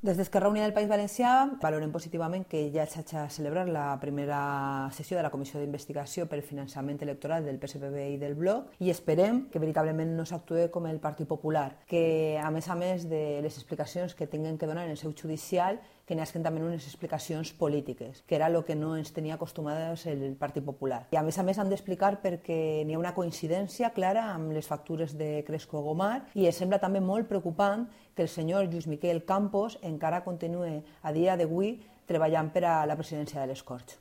Des d'Esquerra Unida del País Valencià valorem positivament que ja s'hagi celebrat la primera sessió de la Comissió d'Investigació pel finançament electoral del PSPB i del Bloc i esperem que veritablement no s'actue com el Partit Popular, que a més de les explicacions que tinguin que donar en el seu judicial, que n'hi també unes explicacions polítiques, que era el que no ens tenia acostumades el Partit Popular. I a més han d'explicar perquè n'hi ha una coincidència clara amb les factures de Cresco Gomar i sembla també molt preocupant que el senyor Lluís Miquel Campos encara continua a dia d'avui treballant per a la presidència de les Corts.